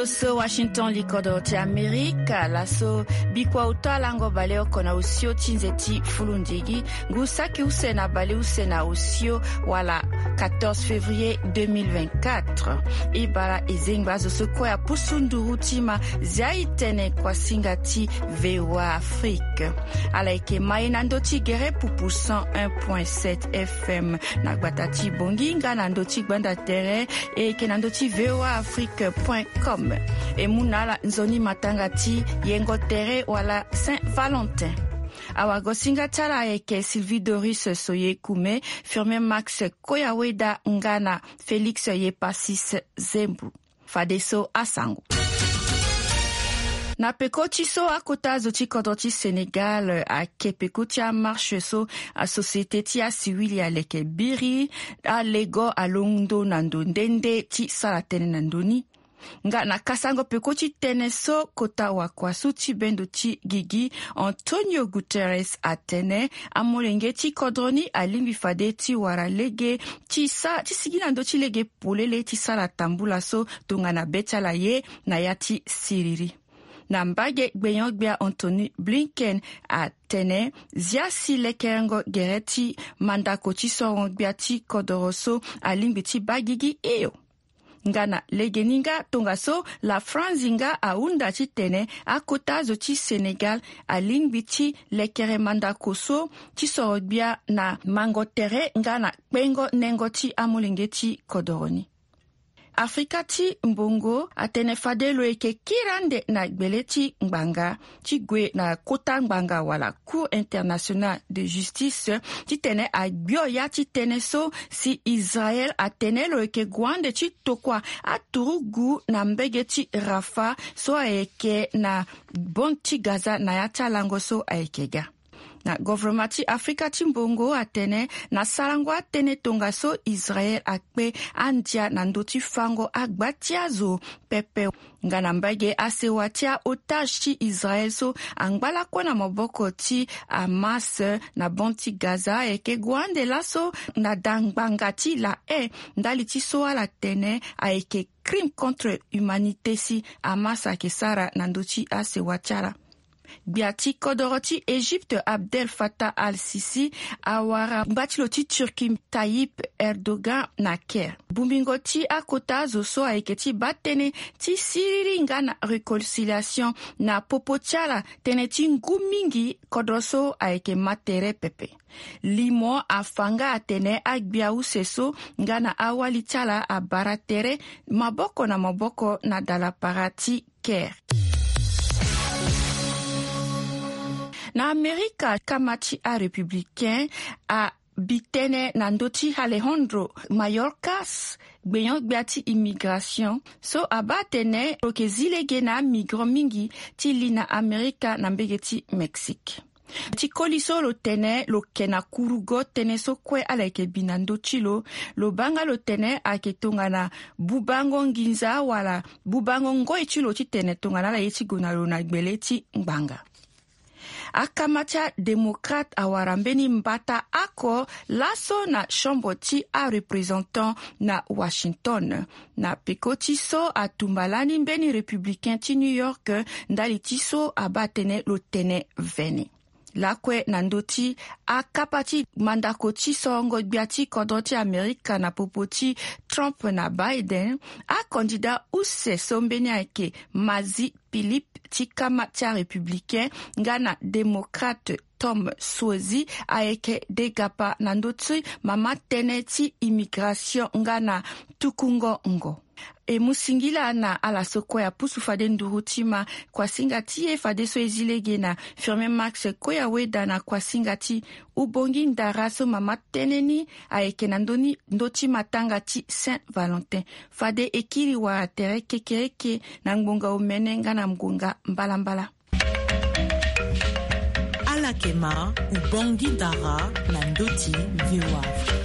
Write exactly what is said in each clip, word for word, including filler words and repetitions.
So Washington, likodro ti Amerika. Laso bikua oto alango baleoko na osio ti nze ti fulundigi, ngu saki use na baleuse na osio wala quatorze février deux mille vingt-quatre. E bara e zengba azo so kue apusu nduru ti ma zia e tene kuasinga ti VOA Afrique. Ala yeke ma e na ndö ti gere pupu cent un point sept F M na gbata ti Bangui nga na ndö ti gbanda tere, e yeke na ndö ti voa afrique point com. E mu na ala nzoni matanga ti yengo tere wala Saint Valentin. Awagosinga ti ala ayeke Sylvie Doris Soye Kume, Firmin Max Koyaweda nga na Félix Yepasis Zembu. Fadeso asango. Na peko ti so akota azo ti kodro ti Sénégal ake peko ti amarche so asociété ti asiwili aleke biri, alego alondo na ndo nde nde ti sara tënë na ndo ni. Nga na kasango peko ti tënë so kota wakua so ti bendo ti gigi, Antonio Guterres atene amolenge ti kodro ni alingbi fade ti wara lege ti sa ti sigi na ndö ti lege polele ti sara tambula so tongana be ti ala ye na ya ti siriri. Na mbage gbenyo-gbia Anthony Blinken atene zia si lekerengo gere ti mandako ti sorongo-gbia ti kodoro so alingbi ti baa gigi hio. Nga na legeni nga tongaso la Franzi nga ahunda titene akota azo ti Sénégal alingbi ti lekere mandako so ti soro gbia na mango tere nga na kpengo nengo ti amolenge ti kodoro ni. Afrika ti mbongo atene fade lo yeke kiri ande na gbele ti ngbanga ti gue na kota ngbanga wala Cour internationale de justice titene agbio ya ti tënë so si Israël atene lo yeke gue ande ti tokua aturugu na mbege ti Rafah so ayeke na bande ti Gaza na ya ti alango so ayeke ga. Na governement ti Afrika ti mbongo atene na sarango atënë tongaso Israël akpe andia na ndö ti fango agba ti azo pepe. Nga na mbage asewa ti aotage ti Israël so angba lakue na maboko ti Hamas na bande ti Gaza ayeke gue ande laso na da ngbanga ti La Haye ndali ti so ala tene ayeke crime contre humanité si Hamas ayeke sara na ndö ti asewa ti ala. Gbia ti kodoro ti Égypte Abdel Fattah al-Sisi awara ngba ti lo ti Turquie Tayyip Erdogan na Caire. Bongbingo ti akota azo so ayeke ti baa tënë ti siriri nga na réconciliation na popo ti ala tënë ti ngu mingi kodro so ayeke ma tere pepe. Limo afa nga atene agbia use so nga na awali ti ala abara tere maboko na maboko na dalapara ti Caire. Na Amerika kama ti arépublicain abi tënë na ndö ti Alejandro Mayorkas, gbenyo-gbia ti immigration so abaa atene lo yeke zi lege na amigrant mingi ti li na Amerika na mbege ti Mexique. Ti koli so lo tene lo ke na kurugo tënë so kue ala yeke bi na ndö ti lo. Lo baa nga lo tene ayeke tongana bubango nginza wala bubango ngoi ti lo titene tongana ala ye ti gue na lo na gbele ti ngbanga. Akama ti adémocrate awara mbeni mbata oko laso na chambre ti areprésentant na Washington. Na peko ti so atumba lani mbeni républicain ti New York ndali ti so abaa tënë lo tene vene. Lakue na ndö ti akapa ti mandako ti sorongo gbia ti kodro ti Amerika na popo ti Trump na Biden, acandidat use so mbeni ayeke Mazi Philippe ti kama ti arépublicain nga na démocrate Tom Suozzi ayeke degapa na ndö ti mama tënë ti immigration nga na tukungo ngo. E mu singila na ala so kue apusu fade nduru ti ma kuasinga ti e fadeso e zi lege na Firmin Max Koyaweda na kuasinga ti Ubongi Ndara so mama tënë ni ayeke na ndö ni ndö ti matanga ti Saint Valentin. Fade e kiri wala tere kekereke na ngbonga omene nga na ngbonga mbalambala. Ala yeke ma Ubongi Ndara na ndö ti VOA Afrique.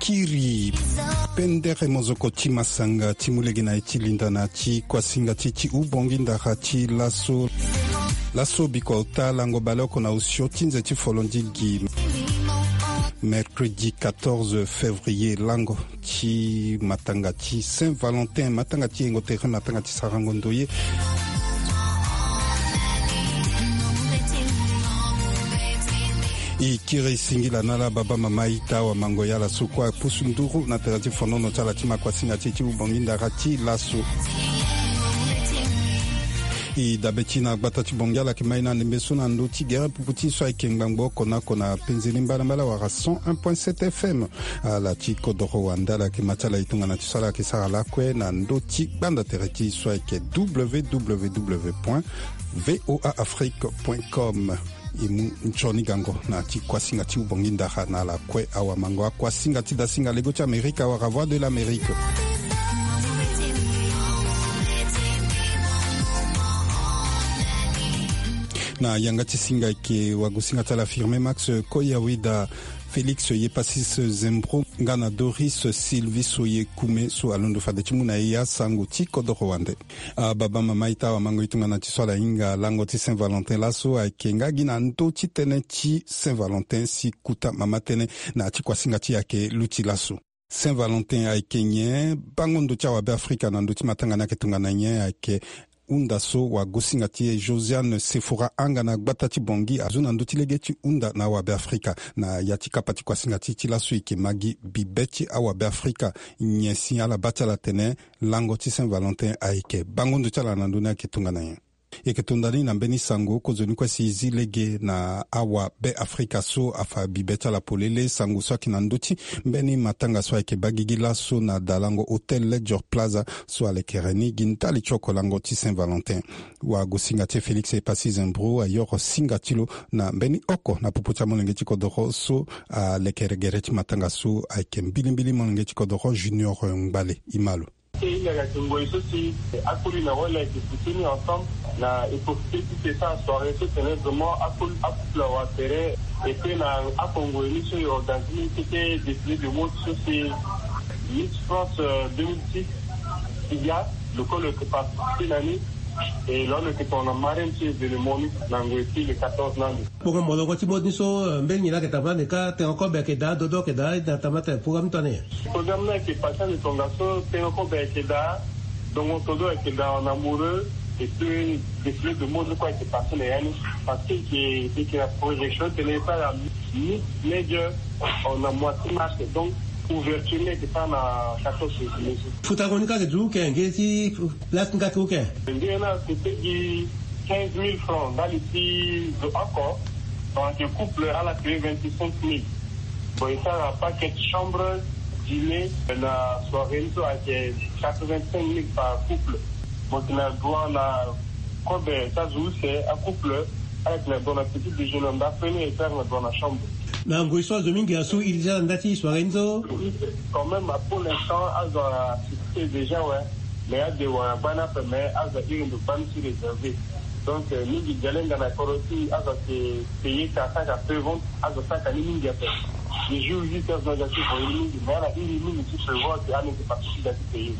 Kiri pendere mozoko ti masanga ti mu lege na ye ti linda na ti kuasinga ti ti hubongi ndara ti laso. Laso biko ota lango baleoko na osio ti nze ti folondigi. Mercredi quatorze février, lango ti matanga ti Saint Valentin, matanga ti yengo tere, matanga ti sarango ndoye. E kiri singila na ala baba mama ita awamango ya ala so kue apusu nduru na tere ti fonono ti ala ti ma kuasinga ti e ti hubongi ndara ti laso. E dabe ti na gbata ti bongi ala yeke mai na ndembe so na ndö ti gere pupu ti e so ayeke ngbangbo oko na oko na penzeni mbalambala wala cent un point sept F M. Ala ti kodoro wande ala yeke ma ti ala e tongana ti so ala yeke sara lakue na ndö ti gbanda tere ti e so ayeke W W W point V O A Afrique point com. E mu nzoni gango na ti kuasinga ti hubongi ndara na ala kue awamango, akuasinga ti dasinga lego ti Amerika wala Voix de l'Amérique. Na yanga ti singa ayeke wagosinga ti ala Firme Max Koyawida, Félix Yepasis Zembro nga na Doris Sylvie Soye Kume so alondo fade ti mu na e asango ti kodoro wande. Ababa mama ita awamango e tongana ti so ala hinga lango ti Saint Valentin laso ayeke nga gi na ndö ti tënë ti Saint Valentin si kuta mama tënë na ya ti kuasinga ti e ayeke luti laso. Saint Valentin ayeke nyen? Bango ndo ti awabe Afrika na ndö ti matanga ni ayeke tongana nyen? Ayeke hunda so wagosinga ti e Josiane Sephora Anga na gbata ti Bongi azo na ndö ti lege ti hunda na awabe Afrika. Na ya ti kapa ti kuasinga ti e ti laso e yeke ma gi bibe ti awabe Afrika nyen si ala baa ti ala atene lango ti Saint Valentin ayeke bango ndo ti ala na ndö ni ayeke tongana nyen? E yeke tonda ni na mbeni sango kozoni kue si e zi lege na awabe Afrika so afa bibe ti ala polele. Sango so ayeke na ndö ti mbeni matanga so ayeke baa gigi laso na dalango Hôtel Ledger Plaza so alekere ni gi ndali ti oko lango ti Saint Valentin. Wagosinga ti e Félix Epassi Zembro ayoro singa ti lo na mbeni oko na popo ti amolenge ti kodoro so alekere gere ti matanga so ayeke mbilimbili molenge ti kodoro Junior Ngbale. E ma lo. E hinga ayeke ngoi so si akoli na wali ayeke soutenu ensemble na e profite ti e sara soirée so tene vraiment akoli, akouple awa tere. Et puis na oko ngoi ni so e organiser ni keke défilé de mode so si Miss France, euh, deux mille six, Sidia, lo kue lo yeke participer na ni. Et lo lo yeke tongana marraine ti événement ni na ngoi ti le quatorze na ande. Bongo molongo ti mode ni so, euh, mbeni nyen la ayeke tambula ande ka, tengo kobe ayeke daa, dodo ayeke daa, na tambula tene programme ni tongana nyen? Programme ni ayeke passé ande tongaso, tengo kobe ayeke daa, dongo todo ayeke daa en amoureux, et puis défilé de mode ni kue ayeke passé na ya ni. Parce que e yeke, e yeke na projection tene e sara mid-major en mois ti mars, donc ouverture ni ayeke sara na quatorze février so. Futango ni ka ayeke du ken nge ti place ni ka ti ku ken? Nge ni ayeke coûter gi quinze mille francs ndali ti zo oko. Donc couple ala payé vingt-cinq mille. Bon, e sara paquet chambre, dîner na soirée ni so ayeke quatre-vingt-cinq mille par couple. Mo yeke na droit na kobe ti azo use, acouple, ala yeke na droit na petit déjeuner ndapre ni, e sara na droit na chambre. Na ngoi so azo mingi asu iri ti ala na nda ti soirée ni so. Quand même, pour l'instant azo a succès déjà, ouais. Mais ade wara gbani ape, mais azo a iri ndo gbani ti réservé. Donc, euh, mingi gi alenga na kodro ti azo ayeke payé ka saka pré-vente, azo saka ni mingi ape. Ni jour huit heures na azo ayeke voyé ni mingi, mais ala iri mingi ti prévoir que ala yeke participer ti payé.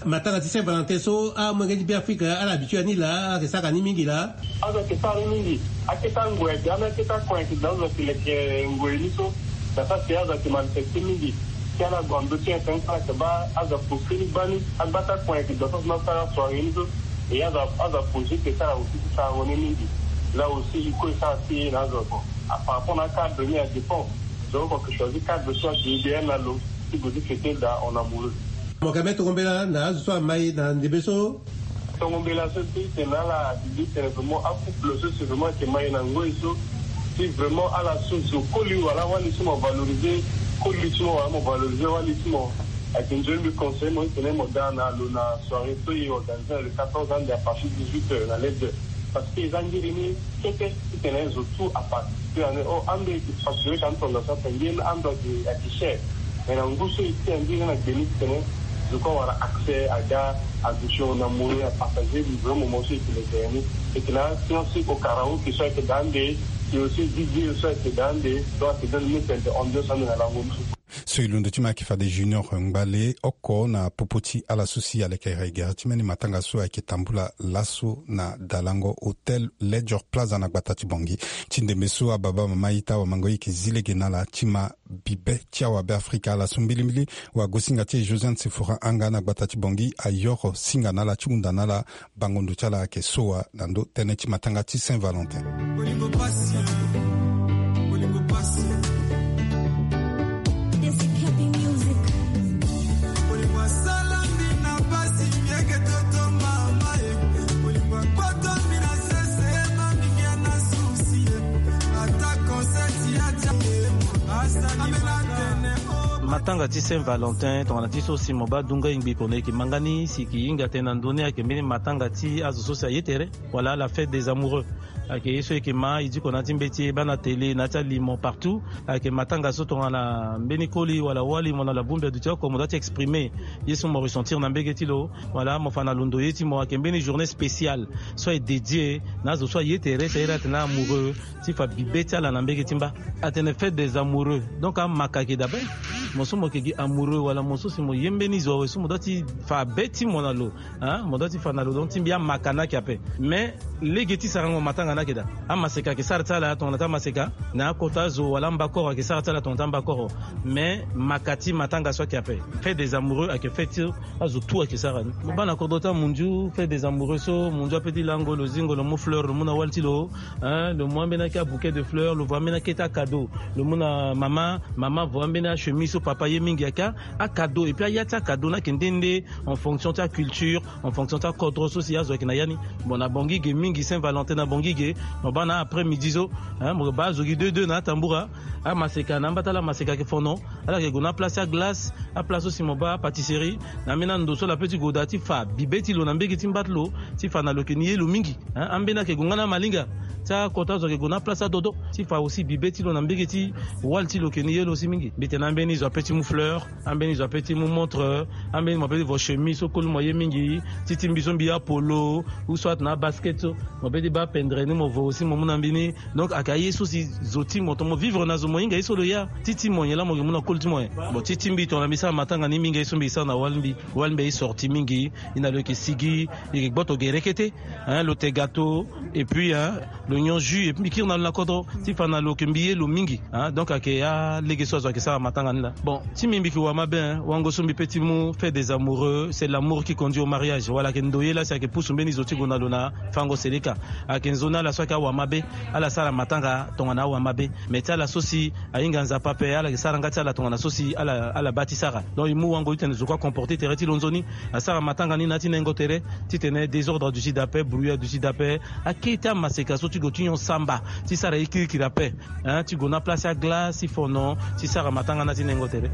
Matanga ti Saint Valentin so amolenge ti Beafrika ala habitué na ni laa, ala yeke sara ni mingi laa? Azo ayeke sara ni mingi. Akete angoi ayeke, ana akete akon ayeke daa, azo ayeke leke ngoi ni so. Na sara si azo ayeke manifester mingi. Si ala gue na ndö ti internet, ala yeke baa azo apose ni gbani, agbata akon ayeke daa so si na sara soirée ni so. Et azo, azo apose ti sara aussi ti sarango ni mingi. Là aussi il faut e sara ti e na azo oko. A par rapport na acadre ni a dépend. Donc oko ayeke choisir cadre so ayeke idéal na lo ti gue ti fêter daa en amoureux. Mo yeke mbeni tongo mbela na azo so amai na ndembe so. Tongo mbela so ti tene ala adi tene vraiment acouple so si vraiment ayeke mai na ngoi so, si vraiment ala so zo koli wala wali so mo valoriser koli ti mo wala mo valoriser wali ti mo, ayeke nzoni mbi conseiller mo ti tene mo daa na lo na soirée so e organiser na le quatorze ande à partir dix-huit heures na lede. Parce que eza ngiri ni kete ti tene zo tout aparticiper ane. O ando e yeke facturer ka ni tongaso ape, nge ni ando ayeke, ayeke cher. Mais na ngu so e ti ande ni na gbe ni ti tene zo kue awara accès aga, aduti na mo ni, apartager livre moment so e yeke leke ni. E yeke na asian so e ko karaoke so ayeke daa ande, e aussi D J so ayeke daa ande. Donc ayeke donne ni tene ambiance ande na lango ni so. So e londo ti ma ayeke fade Junior Ngbale oko na popo ti ala so si aleke gere ti mbeni matanga so ayeke tambula laso na dalango Hôtel Ledger Plaza na gbata ti Bangui. Ti ndembe so ababa mama ita wamango ye yeke zi lege na ala ti ma bibe ti awabe Afrika ala so mbilimbili. Wagosinga ti e Josiane Sefora Anga na gbata ti Bangui ayoro singa na ala ti hunda na ala bango ndo ti ala ayeke so wa na ndo tënë ti matanga ti Saint Valentin. Matanga ti Saint Valentin tongana ti so si mo baa dunga ingbi kono e yeke ma nga ni si e yeke hinga tënë na ndö ni ayeke mbeni matanga ti azo so si aye tere wala la fête des amoureux. Ayeke ye so e yeke ma e diko na ya ti mbeti e baa na télé na ya ti alimo partout. Ayeke matanga so tongana mbeni koli wala wali mo na la bongbi aduti oko mo doit ti exprimer ye so mo ressentir na mbege ti lo. Wala mo fa na lo ndo ye ti mo ayeke mbeni journée spéciale so aye dédié na azo so aye tere, c'est-à-dire atene amoureux, ti fa bibe ti ala na mbege ti mba. Atene fête des amoureux, donc amaka ayeke daa be. Mo so mo yeke gi amoureux wala mo so si mo ye mbeni zo awe so mo doit ti fa be ti mo na lo. Hein, mo doit ti fa na lo donc ti mbi amaka ni ayeke ape. Mais lege ti sarango matanga ni ayeke daa. Amaseka ayeke sara ti ala tongana ti amaseka na akota azo wala ambakoro ayeke sara ti ala tongana ti ambakoro. Mais maka ti matanga so ayeke ape. Fête des amoureux ayeke fête ti azo tout ayeke sara ni. Mo baa na kodro ti amunzu fête des amoureux so munzu ape ti lango lo zingo lo mu fleur lo mu na wali ti lo. Hein, lo mu ambeni ake abouquet de fleur, lo vo ambeni ake ti akado lo mu na mama. Mama vo ambeni achemise so papa ye mingi ake akado. Et puis aya ti akado ni ayeke nde nde en fonction ti aculture, en fonction ti akodro so si azo ayeke na ya ni. Bon, na Bangui ge mingi Saint Valentin na Bangui ge. Mo baa na après midi so, hein, mo baa azo gi deux deux na atambura. Amaseka na amba ti ala amaseka ayeke fono. Ala yeke gue na aplace ti aglace, aplace so si mo baa apâtisserie. Na ambeni ando so ala pe ti gue daa ti fa bibe ti lo na mbege ti mba ti lo ti fa na lo yeke ni ye lo mingi. Hein, ambeni ayeke gue nga na amalinga ti akota azo ayeke gue na aplace ti adodo ti fa aussi bibe ti lo na mbege ti wali ti lo yeke ni ye lo aussi mingi. Mbi tene ambeni zo ape ti mu fleur, ambeni zo ape ti mu montre, ambeni mo ape ti vo chemise so koli mo ye mingi. Ti ti mbi so mbi ya polo ou soit na abasket so mo ape ti baa pendre ni mo vo aussi mo mu na mbi ni. Donc ayeke aye so si zo ti mo tongana mo vivre na zo mo hinga ye so lo ya. Ti ti mo nyen laa mo yeke mu na koli ti mo nyen? Bon, ti ti mbi tongana mbi sara matanga ni mbi hinga ye so mbi sara na wali mbi. Wali mbi aye sorti mingi. E na lo yeke sigi, e yeke gboto gere kete. Hein, lo te gâteau et puis hein, lo nyon jus et puis mbi kiri na lo na kodro ti fa na lo yeke mbi ye lo mingi. Hein, donc ayeke alege so azo ayeke sara matanga ni laa. Bon, ti mbi mbi yeke wamabe hein. Wango so mbi pe ti mu fête des amoureux, c'est l'amour qui conduit au mariage. Wala ayeke ndoye laa si ayeke pusu mbeni zo ti gue na lo na fango seleka. Ayeke nzoni ala so ayeke awamabe, ala sara matanga tongana awamabe. Mais ti ala so si ahinga Nzapa ape, ala yeke sara nga ti ala tongana so si ala ala baa ti sara. Donc e mu wango titene zo kue acomporter tere ti lo nzoni. Asara matanga ni na ya ti nengo tere titene désordre aduti daa ape, brouillard aduti daa ape. Akete amaseka so ti gue ti nyon samba ti sara ye kirikiri ape. Hein, ti gue na place ti aglace ti fono ti sara matanga na ya ti nengo tere.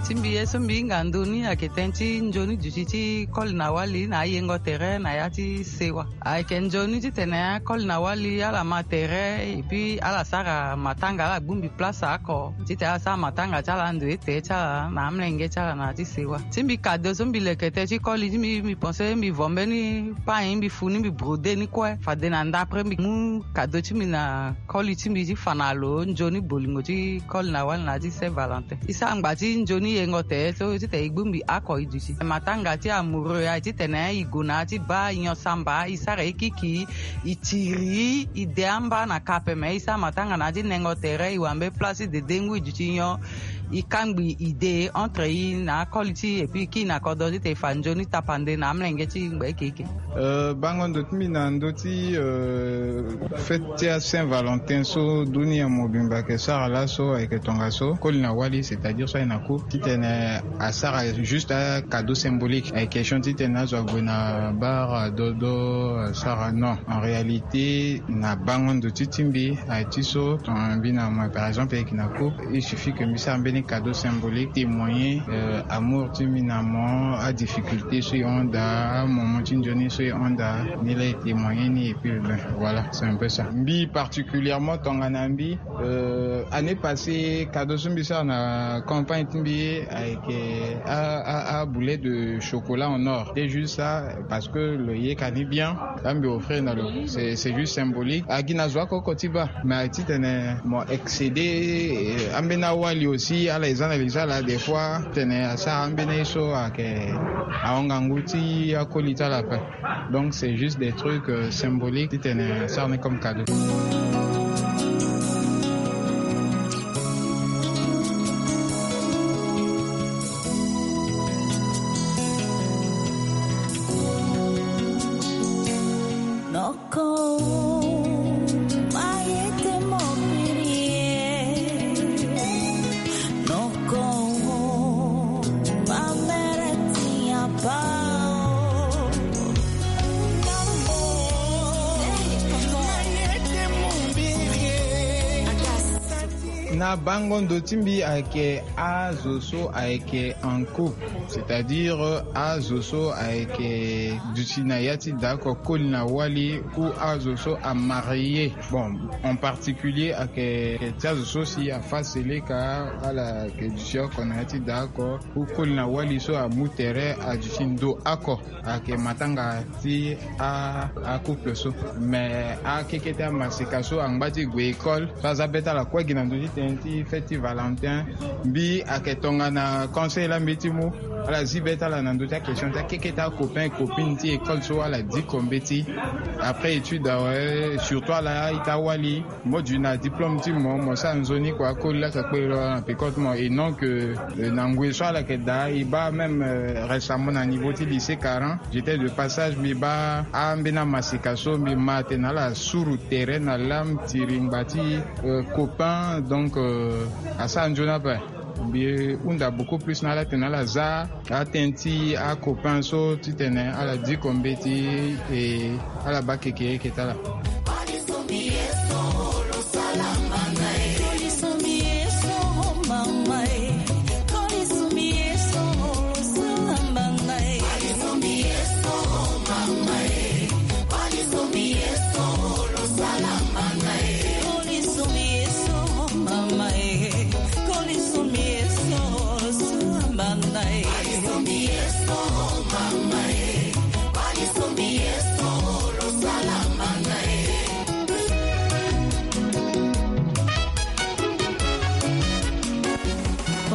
Ti mbi ye so mbi hinga ndoni ayeke tënë ti nzoni duti ti koli na wali na ayengo tere na ya ti sewa. Ayeke nzoni titene akoli na wali ala ma tere et puis ala sara matanga, ala gbu mbi place oko titene ala sara matanga ti ala ndo ete ti ala na amolenge ti ala na ya ti sewa. Ti mbi kado so mbi leke tënë ti koli ti mbi, mbi pense mbi vo mbeni pain mbi fu ni mbi brode ni kue fade na ndapre mbi mu kado ti mbi na koli ti mbi ti fa na lo nzoni bolingo ti koli na wali na ya ti Saint Valentin. E sara ngba ti nzoni yengo tere so titene e gbu mbi oko e duti. Matanga ti amoureux aye titene e gue na ya ti baa nyon samba, e sara e kiki, e tiri, e de amba na kape, me e sara matanga na ya ti nengo tere, e wambe place ti dede ngu e duti nyon, e kangbi e de entre e na akoli ti e, et puis e kiri na kodro titene e fa nzoni tapande na amolenge ti e ngba eke eke. Euh, bango ndo ti mbi na ndö ti, euh, fête ti a Saint Valentin so dunia mobimba ayeke sara laso ayeke tongaso, koli na wali, c'est-à-dire so aye na couple titene asara juste a cadeau symbolique. Ayeke question titene azo ague na bar adodo asara, non. En réalité na bango ndo ti ti mbi aye ti so tongana mbi na moi par exemple ayeke na couple, il suffit que mbi sara mbeni Cadeau symbolique, témoigner amour ti mbi na mo, adifficulté so e hon daa, amoment ti nzoni so e hon daa, ni laa e témoigner ni. Et puis ben, voilà, c'est un peu ça. Mbi particulièrement, tongana mbi, année passée, cadeau so mbi sara na campagne ti mbi ayeke aboulet de chocolat en or. C'est juste ça, parce que lo yeke ni bien, la mbi offrir na lo. C'est juste symbolique. Agi na zo akoko ti baa, mais titene mo excéder, ambeni awali aussi ala e za na li so ala des fois titene asara ambeni ye so ayeke ahon ngangu ti akoli ti ala ape. Donc c'est juste des trucs symboliques titene asara ni comme cadeau. Na bango ndo ti mbi ayeke azo so ayeke en couple, c'est-à-dire azo so ayeke duti na ya ti daa oko, koli na wali, ou azo so amarie. Bon, en particulier ayeke ti azo so si afa seleka, ala yeke duti oko na ya ti daa oko, ou koli na wali so amu tere aduti ndo oko. Ayeke matanga ti a, acouple so. Mais akeke ti amaseka so angba ti gue école so aza be ti ala kue gi na ndö ti tënë ti fête ti Valentin. Mbi ayeke tongana conseil la mbi ti mu, ala zi be ti ala na ndö ti aquestion ti akeke ti acopain copine ti école so ala diko mbeti. Après étude awe, surtout ala ita wali, mo duti na diplôme ti mo, mo sara nzoni kua, akoli laa ka kpe lo na peko ti mo. Et non que na ngoi so ala yeke daa, e baa même récemment na niveau ti lycée quarante, j'étais de passage, mbi baa ambeni amaseka so, mbi ma atene ala suru tere na lame ti ringba ti copain. Donc asara nzoni ape. Mbi hunda beaucoup plus na ala tene ala za atënë ti acopain so titene ala diko mbeti, e ala baa keke yeke ti ala.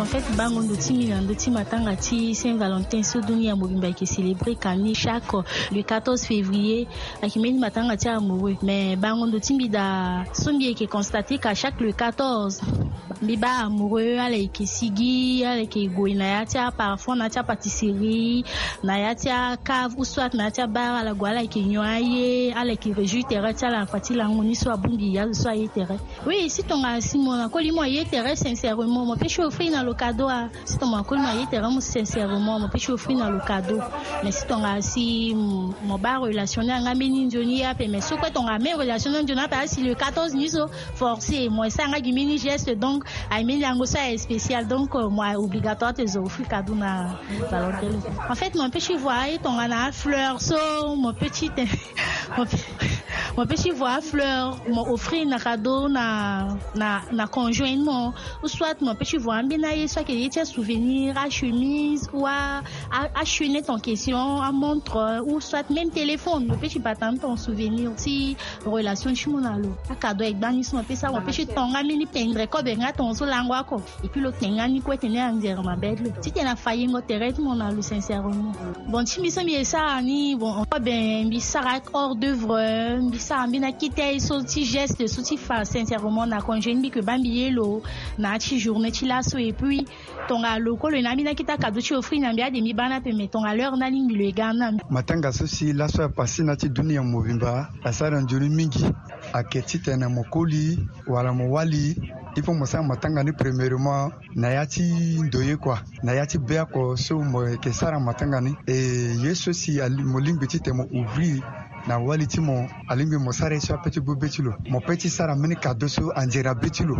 En fait, bango ndo ti mbi na ndö ti matanga ti Saint Valentin so dunia mobimba eke célébrer kani chaque le quatorze février. Ayeke mbeni matanga ti amoureux, mais bango ndo ti mbi daa so mbi yeke constater ka chaque le quatorze, mbi baa amoureux ala yeke sigi, ala yeke gue na ya ti aparfum, na ya ti apâtisserie, na ya ti acave ou soit na ya ti abar, ala gue ala yeke nyon aye, ala yeke réjouir tere ti ala na fa ti lango ni so abongbi azo so aye tere. Oui, si tongana si mo na koli mo aye tere sincèrement, mo peut ti offrir na lo cadeau. Si tongana koli mo aye tere mo sincèrement, mo peut ti offrir na lo cadeau. Mais si tongana si mo baa relation ni anga mbeni nzoni ape, mais so kue tongana même relation ni nzoni ape, asi le quatorze ni so forcé mo esa anga gi mbeni geste, donc aye mbeni lango so aye spécial, donc mo aye obligatoire ti zo offrir cadeau na Valentin. En fait, mo peut ti voir aye tongana fleur so mo peut ti te mo peut ti voir fleur mo offrir na cadeau na na na conjoint mo. Ou soit mo peut ti voir ambeni aye so ayeke ye ti asouvenir, achemise ou a achaînette en question, amontre, ou soit même téléphone. Mo peut ti bata ni ton souvenir ti relation ti mo na lo. Acadeau ayeke gbani so mo peut sara, mo peut ti tonga mbeni pendre kobe nga ton so lango oko. Et puis lo tenga ni kue tene anzere mabe ti lo titene afa yengo tere ti mo na lo sincèrement. Bon, ti mbi so mbi e sara ni, bon, kobe mbi sara hors d'œuvre, mbi sara mbeni akete aye so ti geste so ti fa sincèrement na congé ni, mbi yeke baa mbi ye lo na ya ti journée ti laso. Et puis tongana lo kue lo yeke na ambeni akete akado ti offrir na mbi ade mbi baa ni ape, mais tongana l'heure ni alingbi lo e ga ni na mbi. Matanga so si laso apase na ya ti dunia mobimba asara nzoni mingi. Ayeke titene mo koli wala mo wali, il faut mo sara matanga ni premièrement na ya ti ndoye kua, na ya ti be oko so mo yeke sara matanga ni. E ye so si mo lingbi titene mo ouvrir na wali ti mo, alingbi mo sara ye so ape ti gbu be ti lo. Mo peut ti sara mbeni cadeau so anzere na be ti lo,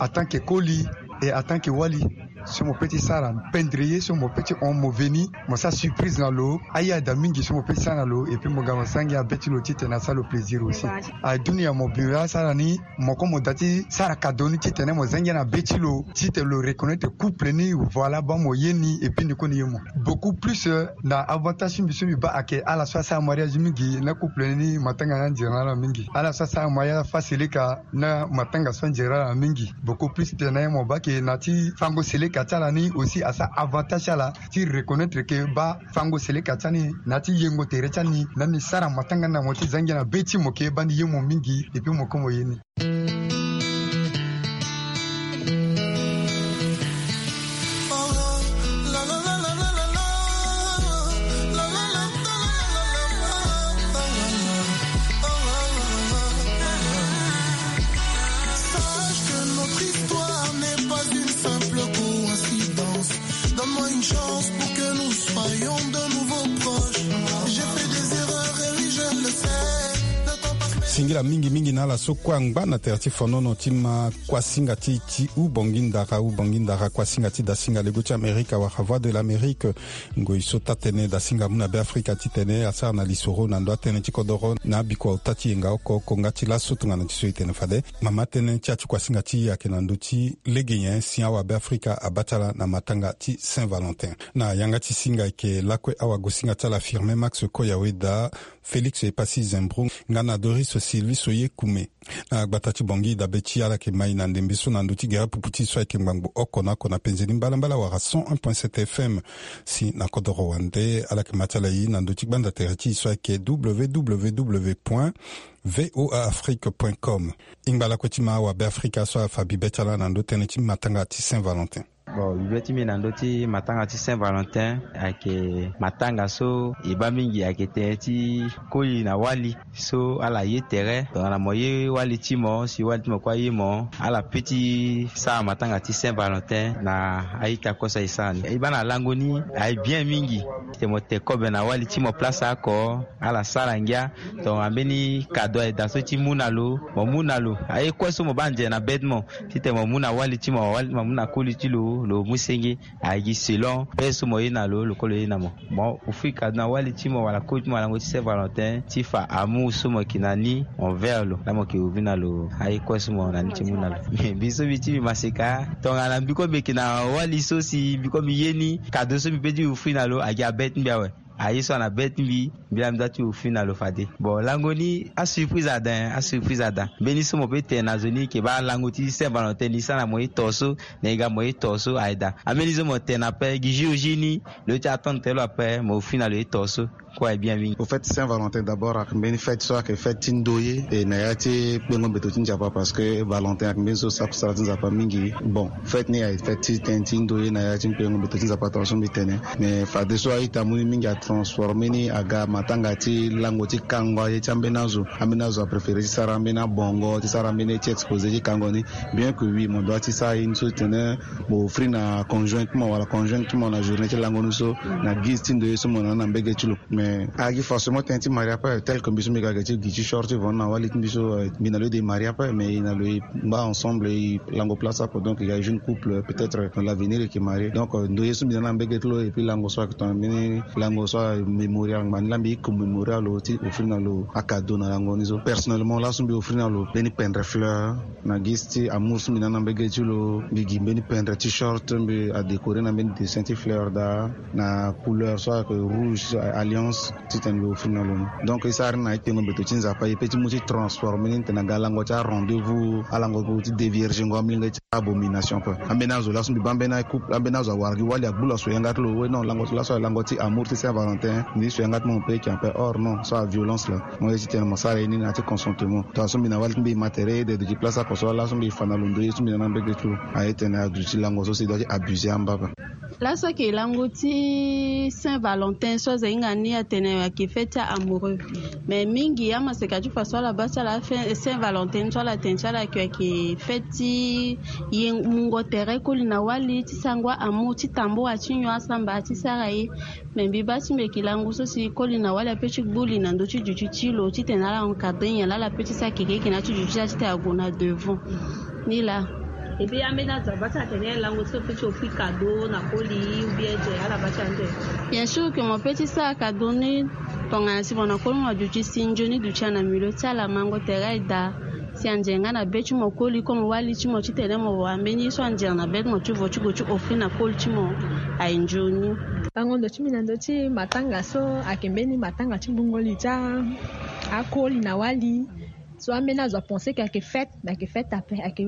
en tant que koli et en tant que wali. So mo pe ti sara pendre ye so mo pe ti hon mo veni, mo sara surprise na lo. Aye ada mingi so mo pe ti sara na lo, et puis mo ga mo sara ngia be ti lo titene asara lo plaisir aussi. Adunia mo bi asara ni, mo ko mo da ti sara cadeau ni titene mo za ngia na be ti lo titene lo reconnaître couple ni. Voilà, ba mo ye ni et puis ni ko ni ye mo beaucoup plus. Na avantage ti mbi so mbi ba ayeke ala so asara mariage mingi na couple ni matanga ni anzere na ala mingi. Ala so asara mariage afa seleka na matanga so anzere na ala mingi beaucoup plus titene mo ba ayeke na ti fango seleka ti ala ni aussi asara avantage ti ala ti reconnaître ke ba fango seleka ti ani na ti yengo tere ti ani na ni sara matanga ni na mo ti za ngia na be ti mo ke ba ni ye mo mingi et puis mo ko mo ye ni. Sache que notre histoire n'est pas une simple coïncidence. Donne-moi une chance pour que nous soyons de nouveau proches. J'ai fait des erreurs et oui, je le sais. Le temps passe, mais singila mingi mingi na ala so kue angba na tere ti fonono ti ma kuasinga ti ti Ubongi Ndara, Ubongi Ndara, kuasinga ti dasinga lego ti Amerika wala Voix de l'Amérique. Ngoi so taa-tënë dasinga amu na Beafrika titene asara na lisoro na ndo atënë ti kodoro na abikua ota ti yenga oko oko nga ti laso tongana ti so e tene fade. Mama tënë ti ya ti kuasinga ti e ayeke na ndö ti lege nyen si awabe Afrika abaa ti ala na matanga ti Saint Valentin. Na yanga ti singa ayeke lakue awagosinga ti ala Firmin Max Koyaweda, Félix Epassi Zembro nga na Doris Sylvie Soye Kume. Na gbata ti Bangui dabe ti ala yeke ma e na ndembe so na ndö ti gere pupu ti e so ayeke ngbangbo oko na oko na penze ni mbalambala wala cent un point sept F M. Si na kodoro wande ala yeke ma ti ala e na ndö ti gbanda tere ti e so ayeke W W W point V O A Afrique point com. E ngba lakue ti ma awabe Afrika so afa bibe ti ala na ndö tënë ti matanga ti Saint Valentin. Bon, bibe ti mbi na ndö ti matanga ti Saint Valentin ayeke matanga so e baa mingi ayeke tënë ti koli na wali so ala ye tere. Tongana mo ye wali ti mo si wali ti mo kue aye mo, ala pe ti sara matanga ti Saint Valentin na a-ita kue so aye sara ni. E baa na lango ni aye bien mingi. Titene mo te kobe na wali ti mo place oko, ala sara ngia. Tongana mbeni kado aye daa so ti mu na lo, mo mu na lo. Aye kue so mo baa nze na be ti mo, titene mo mu na wali ti mo, wali ti mo amu na koli ti lo, lo mu senge. Aye gi selon pe so mo ye na lo, lo kue lo ye na mo. Mo offrir kado na wali ti mo wala koli ti mo na lango ti Saint Valentin ti fa amour so mo yeke na ni envers lo, laa mo yeke offrir na lo aye kue so mo na ni ti mu na lo. Mais mbi so mbi ti mbi maseka, tongana mbi kue mbi yeke na wali so si mbi kue mbi ye ni, kado so mbi pe ti offrir na lo aye gi abe ti mbi awe. Aye so ana be ti mbi, mbi laa mbi doit ti offrir na lo fade. Bon, lango ni asurprise ada, asurprise ada. Mbeni so mo pe tene na zo ni, yeke baa lango ti Saint Valentin ni, sara na mo ye to so, na e ga mo ye to so, aye daa. Ambeni so mo tene ape, gi jour J ni, lo ye ti attendre tere lo ape, mo offrir na lo ye to so. Kue aye bien mingi. Au fait, Saint Valentin d'abord ayeke mbeni fête so ayeke fête ti ndoye, e na ya ti kpengo mbeto ti Nzapa, parce que Valentin ayeke mbeni so sara kusala ti Nzapa mingi. Bon, fête ni aye fête ti tënë ti ndoye na ya ti kpengo mbeto ti Nzapa, tonga so mbi tene. Mais fadeso a-ita amu ni mingi, atransforme ni aga matanga ti lango ti kango aye ti ambeni azo. Ambeni azo apréféré ti sara ambeni abongo, ti sara ambeni ye ti exposé ti kango ni. Bien que oui, mo doit ti sara ye ni so ti tene mo offrir na conjoint ti mo wala conjointe ti mo na journée ti lango ni so, na guise ti ndoye so mo na ni na mbege ti lo. Mais agi forcément tënë ti marie ape, tel que mbi so mbi ga ge ti gi ti short ti vo na wali ti mbi so, eh, mbi na lo ye de marie ape, mais e na lo e ngba ensemble, e lango place ape. Donc il y a jeune couple, peut-être dans l'avenir e yeke marie. Donc, euh, ndoye so mbi na ni na mbege ti lo, et puis lango so ayeke tongana mbeni lango so amémorial, ngbani laa mbi e commémorer lo ti offrir na lo akado na lango ni so. Personnellement laso mbi offrir na lo mbeni pendre fleur, na gi ti amour so mbi na ni na mbege ti lo, mbi gi mbeni pendre t-shirt, mbi adécorer na mbeni dessin ti fleur daa, na couleur so ayeke rouge, alliance, titene mbi offrir na lo ni. Donc e sara ni na e kpengo mbeto ti Nzapa, e pe ti mu ti transformer ni titene aga lango ti arendez-vous, alango ti déviergengo amolenge ti abomination ape. Ambeni azo laso mbi baa ambeni couple, ambeni azo awara gi wali agbu lo aso yanga ti lo, we non, lango ti laso aye lango ti amour ti Saint Valentin, ni so yanga ti mo mo pe e yeke ape, or non, so aviolence laa. Mo ye ti tene mo sara ye ni na ya ti consentement. Tonga so mbi na wali ti mbi e ma tere, e de duti place oko so laso mbi e fa na lo ndoye so mbi na ni na mbege ti lo. Aye tene aduti lango so si e doit ti abuser amba ape. Laso ayeke lango ti Saint Valentin so aza hinga ni atene ayeke fête ti a-amoureux. Mais mingi amaseka ti fa so ala baa ti ala Saint Valentin so ala tene ti ala ayeke, ayeke fête ti ye mungo tere koli na wali, ti sango a-amour, ti tambula ti nyon asamba ti sara ye. Mais mbi baa ti mbi yeke lango so si koli na wali ape ti gbu li na ndö ti duti ti lo titene ala encadrer nyen laa ala pe ti sara keke eke na ya ti duti ti ala titene ague na devant. Ni laa. Et puis ambeni azo abâ ti atene lango ti lo peut ti offrir cadeau na koli ou bien aye ala bâ ti ande. Bien sûr que mo peut ti sara cadeau ni. Tongana si mo na koli mo aduti si nzoni duti ana milieu ti ala mango tere aye daa. Si anzere nga na be ti mo koli comme wali ti mo titene mo wara mbeni ye so anzere na be ti mo ti vo ti gue ti offrir na koli ti mo. Aye nzoni. Lango ndo ti mbi na ndö ti matanga so ayeke mbeni matanga ti gbungo li ti akoli na wali. So ambeni azo apense ke ayeke fête, mais ayeke fête ape, ayeke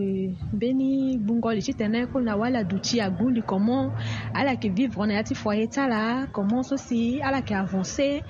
mbeni gbungo li titene koli na wali aduti agbu li comment ala yeke vivre na ya ti foyer ti ala, comment so si ala yeke avancer.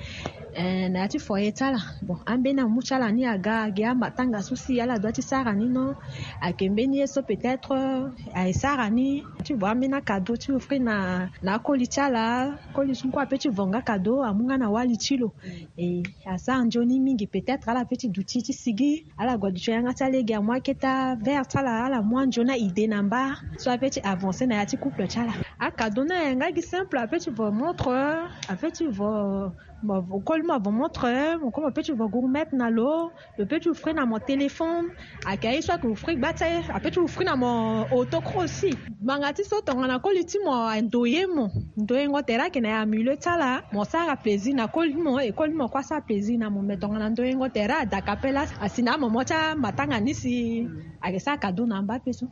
Eh, na ya ti foyer ti ala. Bon, ambeni amu ti ala ni aga agi amatanga so si ala dua ti sara ni non. Ayeke mbeni ye so peut-être aye sara ni ti vo ambeni akado ti offrir na na akoli ti ala. Koli so kue ape ti vo nga kado amu nga na wali ti lo. E asara nzoni mingi, peut-être ala pe ti duti ti sigi, ala gue aduti yanga ti alege amu aketa vert ti ala, ala mu anzoni aide na mba so ape ti avancer na ya ti couple ti ala. Akado ni ayeke nga gi simple, ape ti vo montre, ape ti vo, mo koli mo avo montre, mo koli mo pe ti vo gourmette na lo. Lo pe ti offrir na mo téléphone. Ayeke aye so ayeke offrir gba ti aye, ape ti offrir na mo autocross aussi. Ngbanga ti so tongana koli ti mo andoye mo, ndoyengo tere ayeke na ya milieu ti ala, mo sara plaisir na koli ti mo, e koli ti mo kue asara plaisir na mo. Mais tongana ndoyengo tere adaka pe la, asi na amomo ti amatanga ni si ayeke sara cadeau na mba pe so.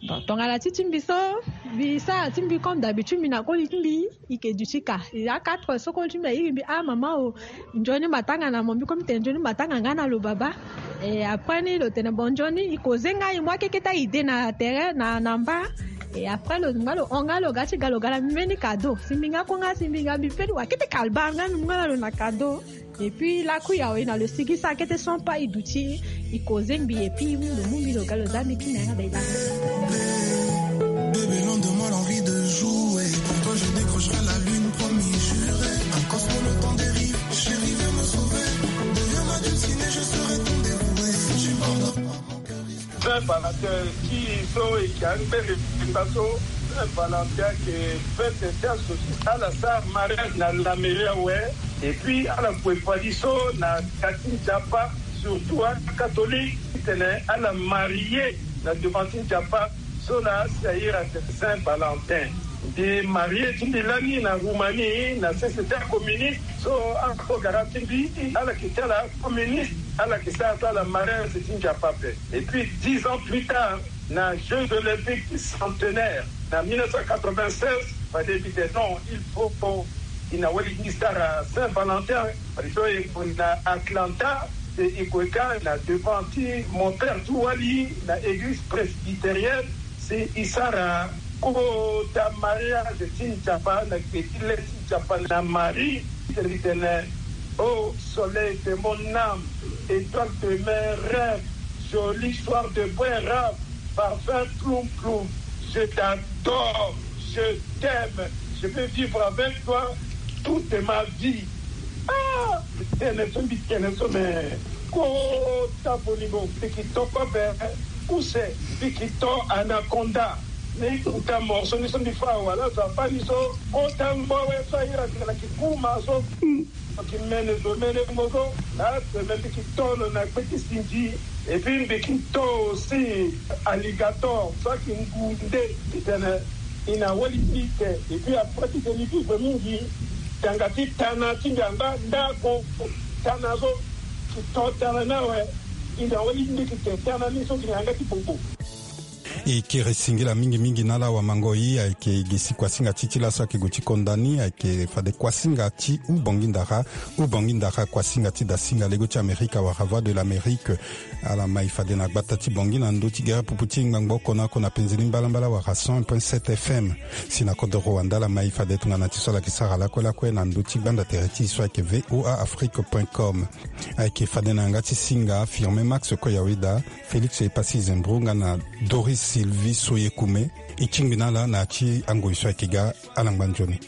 Bon, tongana ti ti mbi so, mbi sara ti mbi comme d'habitude, mbi na koli ti mbi, i ke duti ka. I a quatre heures so koli ti mbi airi mbi, ah mama o, nzoni matanga na mo? Mbi komi tene nzoni matanga nga na lo baba. E après ni lo tene bon nzoni, i koze nga, i mu akeketa ide na tere na na mba. E après lo nga lo hon nga, lo ga ti ga lo ga na mbi mbeni cadeau. Si mbi nga ko nga, si mbi nga mbi pe ti wa kete kalba nga, mbi mu nga na lo na cadeau. Et puis lakui awe na lo sigi sa kete son pa i duti, i koze mbi et puis i mu lo mu mbi lo ga lo za mbi ti na yanga da i da. Bébé, loin de moi l'envie de jouer. Pour toi je décrocherai la lune, promis juré. Un cosmo le temps dérive. Chérie viens me sauver. Deviens ma dulcinée, je serai ton dévoué. Si tu m'abandonnes pas, mon cœur risque. Saint Valentin ti so e yeke angbe le mbi so. Saint Valentin ayeke fête ti azo ti ala sara mariage na la mairie awe. Et puis ala gue fadi so na ka ti nzapa, surtout acatholique titene ala marie na devant ti nzapa. So na asi airi atene Saint Valentin. Mbi marie ti mbi lani na Roumanie na société communiste. So akogara ti mbi ala yeke ti ala communiste, ala yeke sara so ala mariage ti nzapa ape. Et puis dix ans plus tard, na Jeux Olympiques centenaire na mille neuf cent quatre-vingt-seize, fade mbi tene non, il faut i na wali ti mbi sara Saint Valentin. Fade so e gue na Atlanta, e gue ka na devant ti mon père ti wali na église presbytérienne, si i sara kota mariage ti nzapa na gbe ti le ti nzapa na Marie. Tene mbi tene, oh soleil de mon âme, étoile de mes rêves, joli soir de brun rave, parfum ploum ploum, je t'adore, je t'aime, je veux vivre avec toi toute ma vie. Ah, tene so mbi tene so me kota bolingo, mbi ki to kobe, use, mbi ki to anaconda. Ni kuta morso ni so mbi fa wala zo afa ni so kota ngbo awe so aira tene na kikuma so. Ki mene zo mene mo so na tene mbi ki to lo na gbe ti sinzi. Et puis mbi ki to aussi alligator so aki ngu nde. Titene i na wali ti mbi te. Et puis après titene i vivre mingi, tanga ti tana ti mbi angba ndako. Tana so ki to tana ni awe. I na wali ti mbi ki te tana ni so ki na yanga ti bobo. E kiri singila mingi mingi na ala wamango i. Ayeke gi si kuasinga ti ti laso ayeke gue ti konda ni, ayeke fade kuasinga ti Ubongi Ndara. Ubongi Ndara, kuasinga ti dasinga lego ti Amerika wala Voix de l'Amérique. Ala mai fade na gbata ti Bongi na ndö ti gere pupu ti ngbangbo oko na oko na penze ni mbalambala wala cent un point sept F M. Si na kodoro wanda ala mai fade tongana ti so ala yeke sara lakue lakue na ndö ti gbanda tere ti e so ayeke V O A Afrique point com. Ayeke fade na yanga ti singa Firmin Max Koyaweda, Félix Epassi Zembro nga na Doris Sylvie Soyekume. E tingbi na ala na ya ti angoi so ayeke ga. Ala ngba nzoni.